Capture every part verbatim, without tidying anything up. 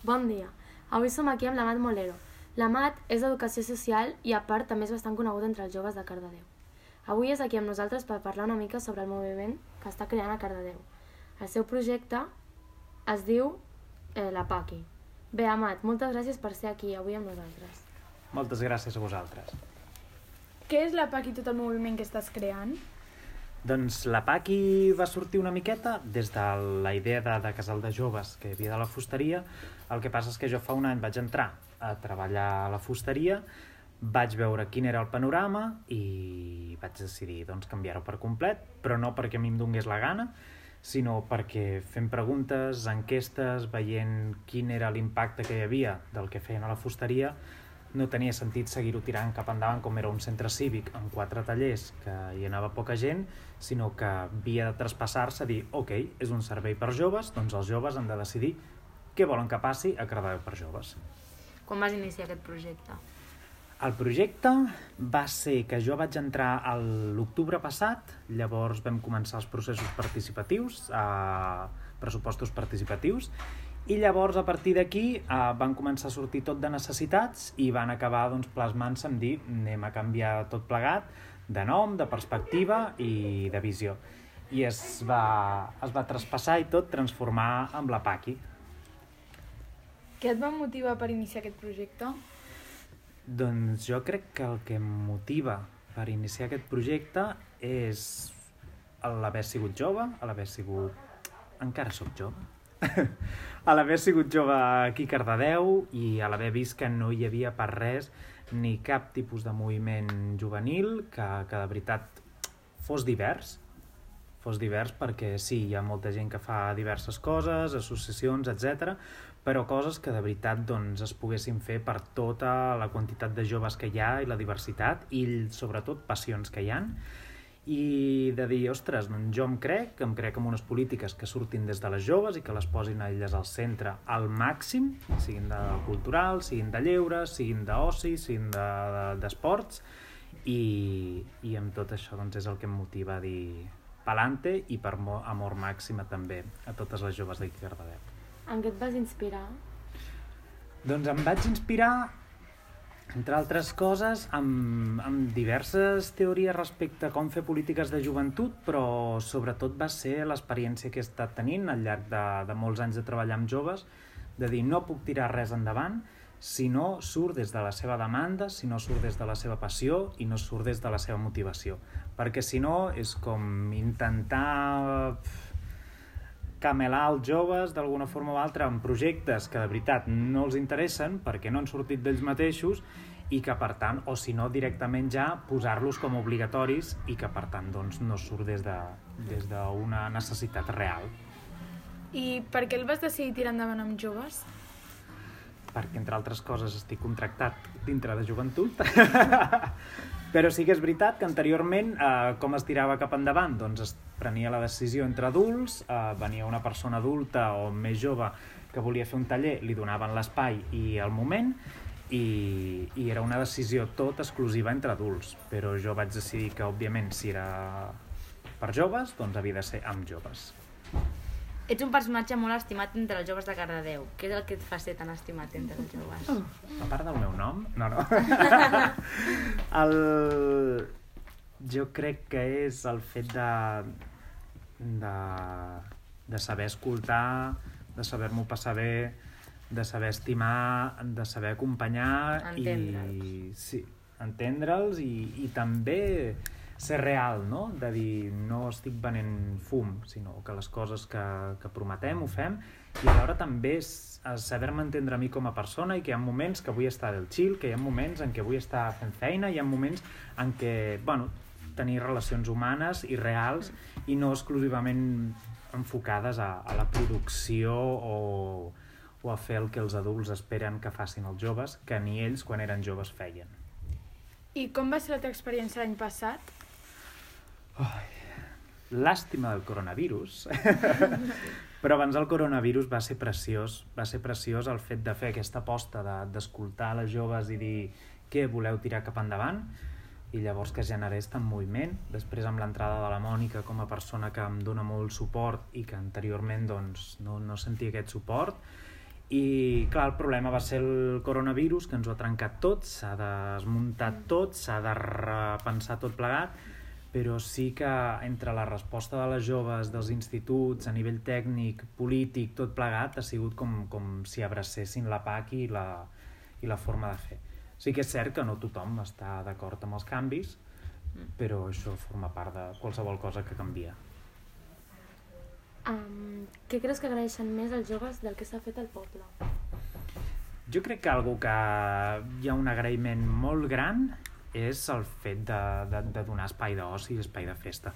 Bon dia. Avui som aquí amb l'Amat Molero. L'Amat és d'Educació Social i, a part, també és bastant conegut entre els joves de Cardedeu. Avui és aquí amb nosaltres per parlar una mica sobre el moviment que està creant a Cardedeu. El seu projecte es diu eh, la Paqui. Bé, Amat, moltes gràcies per ser aquí avui amb nosaltres. Moltes gràcies a vosaltres. Què és la Paqui i tot el moviment que estàs creant? Doncs la Paqui va sortir una miqueta des de la idea de, de casal de joves que hi havia de la fusteria. El que passa és que jo fa un any vaig entrar a treballar a la fusteria, vaig veure quin era el panorama i vaig decidir doncs, canviar-ho per complet, però no perquè a mi em donés la gana, sinó perquè fent preguntes, enquestes, veient quin era l'impacte que hi havia del que feien a la fusteria, no tenia sentit seguir-ho tirant cap endavant com era un centre cívic amb quatre tallers que hi anava poca gent, sinó que havia de traspassar-se a dir ok, és un servei per joves, doncs els joves han de decidir què volen que passi a Cardedeu per joves. Quan vas iniciar aquest projecte? El projecte va ser que jo vaig entrar a l'octubre passat, llavors vam començar els processos participatius, eh, pressupostos participatius, i llavors a partir d'aquí eh, van començar a sortir tot de necessitats i van acabar doncs, plasmant-se en dir anem a canviar tot plegat de nom, de perspectiva i de visió. I es va, es va traspassar i tot transformar en la Paqui. Què et va motivar per iniciar aquest projecte? Doncs jo crec que el que em motiva per iniciar aquest projecte és l'haver sigut jove, l'haver sigut... encara sóc jove, a l'haver sigut jove aquí a Cardedeu i a l'haver vist que no hi havia per res ni cap tipus de moviment juvenil que, que de veritat fos divers, fos divers perquè sí, hi ha molta gent que fa diverses coses, associacions, etcètera, però coses que de veritat doncs, es poguessin fer per tota la quantitat de joves que hi ha i la diversitat i sobretot passions que hi ha. I de dir, ostres, doncs jo em crec, em crec en unes polítiques que surtin des de les joves i que les posin a elles al centre al màxim, siguin de cultural, siguin de lleure, siguin d'oci, siguin d'esports, de, de, i, i amb tot això doncs, és el que em motiva a dir pa'lante i per amor màxima també a totes les joves d'aquí a Cardedeu. En què et vas inspirar? Doncs em vaig inspirar, entre altres coses, amb, amb diverses teories respecte a com fer polítiques de joventut, però sobretot va ser l'experiència que he estat tenint al llarg de, de molts anys de treballar amb joves, de dir no puc tirar res endavant si no surt des de la seva demanda, si no surt des de la seva passió i no surt des de la seva motivació. Perquè si no és com intentar camelar els joves d'alguna forma o altra en projectes que de veritat no els interessen perquè no han sortit d'ells mateixos i que per tant, o si no directament ja posar-los com obligatoris i que per tant doncs, no surt des de, des d'una necessitat real. I per què el vas decidir tirar endavant amb joves? Perquè entre altres coses estic contractat dintre de joventut però sí que és veritat que anteriorment eh, com es tirava cap endavant? Doncs es prenia la decisió entre adults, eh, venia una persona adulta o més jove que volia fer un taller, li donaven l'espai i el moment i, i era una decisió tot exclusiva entre adults, però jo vaig decidir que òbviament si era per joves doncs havia de ser amb joves. Ets un personatge molt estimat entre els joves de Cardedeu. Què és el que et fa ser tan estimat entre els joves? A part del meu nom? No, no. el... Jo crec que és el fet de, de, de saber escoltar, de saber-m'ho passar bé, de saber estimar, de saber acompanyar entendre'ls. i sí, entendre'ls i, i també ser real, no? De dir, no estic venent fum, sinó que les coses que, que prometem ho fem i alhora també és saber-me entendre a mi com a persona i que hi ha moments que vull estar del chill, que hi ha moments en què vull estar fent feina, hi ha moments en què, bueno, tenir relacions humanes i reals i no exclusivament enfocades a, a la producció o, o a fer el que els adults esperen que facin els joves, que ni ells quan eren joves feien. I com va ser la teva experiència l'any passat? Oh, l'àstima del coronavirus però abans del coronavirus va ser preciós va ser preciós el fet de fer aquesta aposta de, d'escoltar les joves i dir què voleu tirar cap endavant i llavors que generés tant moviment després amb l'entrada de la Mònica com a persona que em dona molt suport i que anteriorment doncs, no, no sentia aquest suport I, clar, el problema va ser el coronavirus, que ens ho ha trencat tot, s'ha desmuntat tot, s'ha de repensar tot plegat, però sí que entre la resposta de les joves, dels instituts, a nivell tècnic, polític, tot plegat, ha sigut com, com si abracessin la P A C i la, i la forma de fer. Sí que és cert que no tothom està d'acord amb els canvis, però això forma part de qualsevol cosa que canvia. Um, què creus que agraeixen més els joves del que s'ha fet al poble? Jo crec que algo que hi ha un agraïment molt gran és el fet de, de, de donar espai d'oci i espai de festa.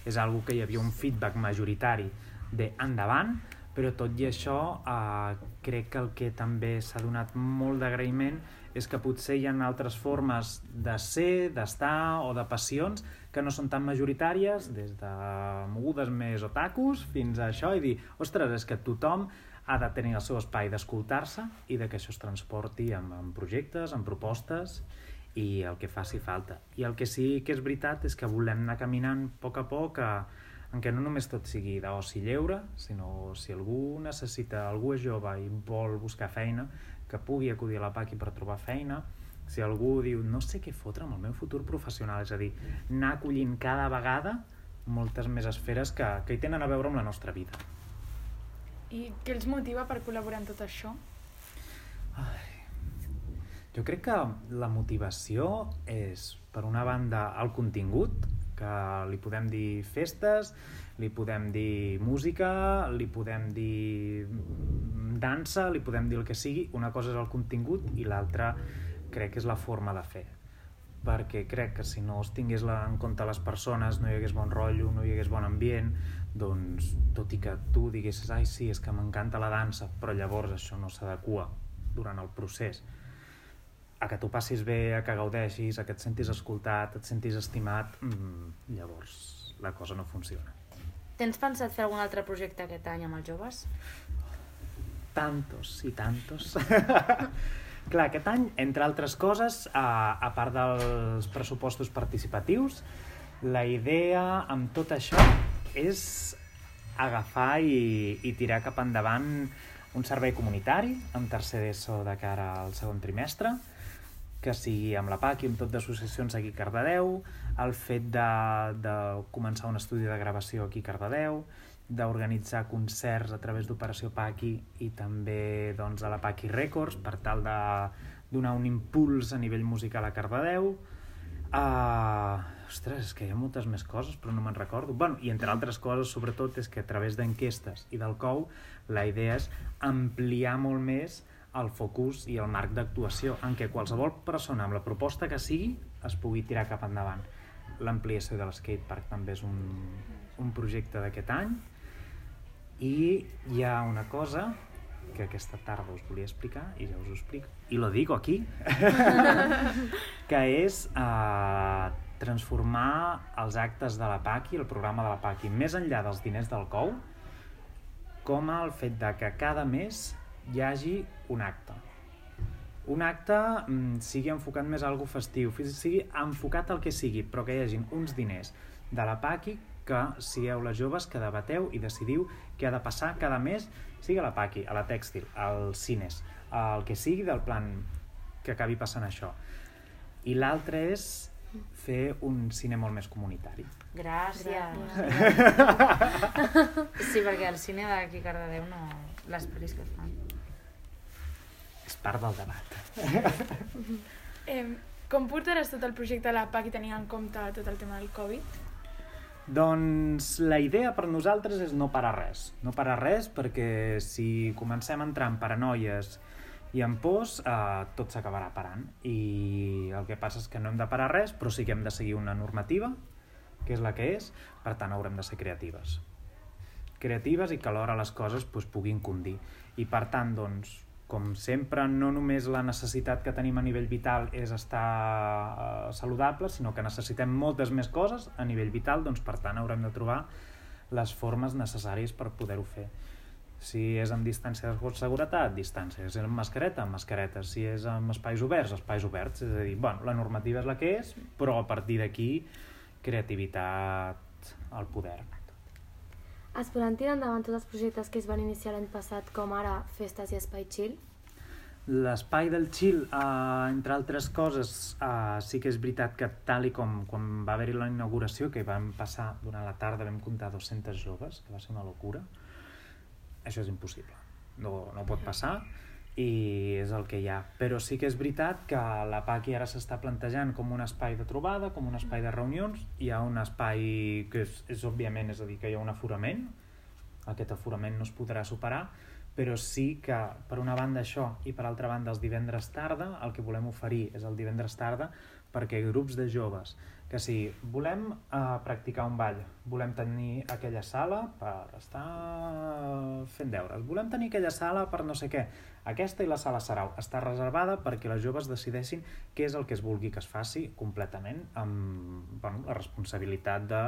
És algo que hi havia un feedback majoritari d'endavant, però tot i això eh, crec que el que també s'ha donat molt d'agraïment és que potser hi ha altres formes de ser, d'estar o de passions que no són tan majoritàries, des de mogudes més otakus fins a això, i dir, ostres, és que tothom ha de tenir el seu espai d'escoltar-se i de que això es transporti en, en projectes, en propostes i el que faci falta. I el que sí que és veritat és que volem anar caminant a poc a poc a, en què no només tot sigui d'oci lleure, sinó si algú necessita, algú és jove i vol buscar feina, que pugui acudir a la P A C per trobar feina. Si algú diu, no sé què fotre amb el meu futur professional, és a dir, anar acollint cada vegada moltes més esferes que, que hi tenen a veure amb la nostra vida. I què els motiva per col·laborar en tot això? Ai, jo crec que la motivació és, per una banda, el contingut, que li podem dir festes, li podem dir música, li podem dir dansa, li podem dir el que sigui. Una cosa és el contingut i l'altra crec que és la forma de fer, perquè crec que si no es tingués en compte les persones, no hi hagués bon rotllo, no hi hagués bon ambient, doncs tot i que tu diguessis, ai sí, és que m'encanta la dansa, però llavors això no s'adequa durant el procés a que tu passis bé, a que gaudeixis, a que et sentis escoltat, et sentis estimat, mmm, llavors la cosa no funciona. Tens pensat fer algun altre projecte aquest any amb els joves? Tantos i tantos. Clar, aquest any, entre altres coses, a, a part dels pressupostos participatius, la idea amb tot això és agafar i, i tirar cap endavant un servei comunitari amb tercer d'ESO de cara al segon trimestre, que sigui amb la P A C i amb tot d'associacions aquí a Cardedeu, el fet de, de començar un estudi de gravació aquí a Cardedeu, d'organitzar concerts a través d'Operació P A C I i també doncs, a la P A C I Records per tal de donar un impuls a nivell musical a Cardedeu. Uh, ostres, és que hi ha moltes més coses, però no me'n recordo. Bueno, i entre altres coses, sobretot, és que a través d'enquestes i del C O U la idea és ampliar molt més el focus i el marc d'actuació en què qualsevol persona amb la proposta que sigui es pugui tirar cap endavant. L'ampliació de l'skatepark també és un, un projecte d'aquest any. I hi ha una cosa que aquesta tarda us volia explicar i ja us ho explico, i lo digo aquí, que és eh, transformar els actes de la P A C I, el programa de la P A C I, més enllà dels diners del C O U, com el fet de que cada mes hi hagi un acte. Un acte mm, sigui enfocat més a alguna festiu, sigui enfocat al que sigui, però que hi hagin uns diners de la P A C I que sigueu les joves que debateu i decidiu què ha de passar cada mes, sigui a la P A C I, a la Tèxtil, als cines, el que sigui del plan que acabi passant això. I l'altre és fer un cine molt més comunitari. Gràcies. Sí, perquè el cine d'aquí a Cardedeu no... les pel·lis que fan. És part del debat. eh, com portaràs tot el projecte de la P A C I tenint en compte tot el tema del Covid? Doncs la idea per nosaltres és no parar res. No parar res perquè si comencem a entrar en paranoies i en pors, eh, tot s'acabarà parant. I el que passa és que no hem de parar res, però sí que hem de seguir una normativa, que és la que és, per tant haurem de ser creatives. Creatives i que alhora les coses doncs, puguin condir. I per tant, doncs, com sempre, no només la necessitat que tenim a nivell vital és estar eh, saludable, sinó que necessitem moltes més coses a nivell vital, doncs per tant haurem de trobar les formes necessàries per poder-ho fer. Si és amb distància de seguretat, distància. Si és amb mascareta, amb mascareta. Si és amb espais oberts, espais oberts. És a dir, bueno, la normativa és la que és, però a partir d'aquí, creativitat al poder. Es podran tirar endavant tots els projectes que es van iniciar l'any passat, com ara festes i espai chill? L'espai del chill, eh, entre altres coses, eh, sí que és veritat que tal i com quan va haver-hi la inauguració, que vam passar durant la tarda, vam comptar dos-centes joves, que va ser una locura, això és impossible, no, no pot passar i és el que hi ha. Però sí que és veritat que la Paqui ara s'està plantejant com un espai de trobada, com un espai de reunions. Hi ha un espai que és, és òbviament, és a dir, que hi ha un aforament, aquest aforament no es podrà superar, però sí que per una banda això i per altra banda els divendres tarda el que volem oferir és el divendres tarda perquè grups de joves que si volem eh, practicar un ball, volem tenir aquella sala per estar fent deures, volem tenir aquella sala per no sé què, aquesta i la sala Sarau està reservada perquè les joves decideixin què és el que es vulgui que es faci completament amb bueno, la responsabilitat de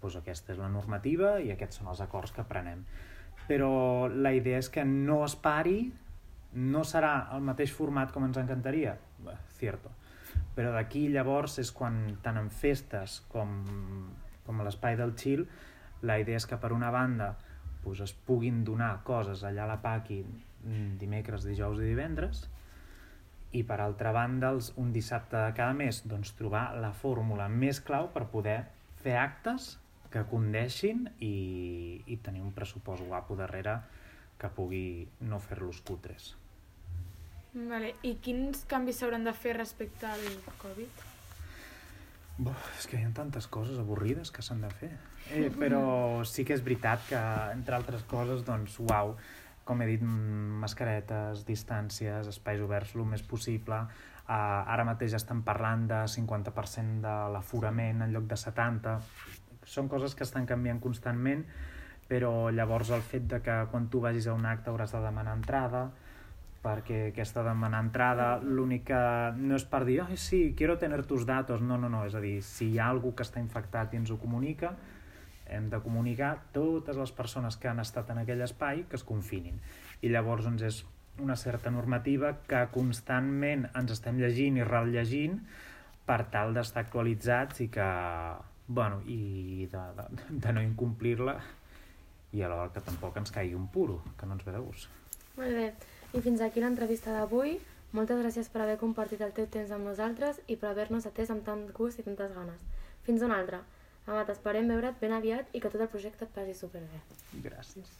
doncs aquesta és la normativa i aquests són els acords que prenem. Però la idea és que no es pari, no serà el mateix format com ens encantaria, bé, cierto, però d'aquí llavors és quan tant en festes com, com a l'espai del chill la idea és que per una banda doncs es puguin donar coses allà a la Paqui dimecres, dijous i divendres i per altra banda els, un dissabte de cada mes doncs, trobar la fórmula més clau per poder fer actes que condeixin i, i tenir un pressupost guapo darrere que pugui no fer-los cutres. Vale. I quins canvis s'hauran de fer respecte al Covid? Bo, és que hi ha tantes coses avorrides que s'han de fer. Eh, però sí que és veritat que, entre altres coses, doncs, uau, com he dit, mascaretes, distàncies, espais oberts el més possible. Uh, ara mateix estan parlant de cinquanta per cent de l'aforament en lloc de setanta. Són coses que estan canviant constantment, però llavors el fet de que quan tu vagis a un acte hauràs de demanar entrada, perquè aquesta demanar entrada l'únic que no és per dir ai sí, quiero tener tus datos, no, no, no, és a dir, si hi ha algú que està infectat i ens ho comunica, hem de comunicar totes les persones que han estat en aquell espai que es confinin. I llavors doncs, és una certa normativa que constantment ens estem llegint i rellegint per tal d'estar actualitzats i que, bueno, i de, de, de no incomplir-la i alhora que tampoc ens caigui un puro, que no ens ve de gust. Molt bé, i fins aquí l'entrevista d'avui. Moltes gràcies per haver compartit el teu temps amb nosaltres i per haver-nos atès amb tant gust i tantes ganes. Fins una altra. Amat, esperem veure't ben aviat i que tot el projecte et passi superbé. Gràcies.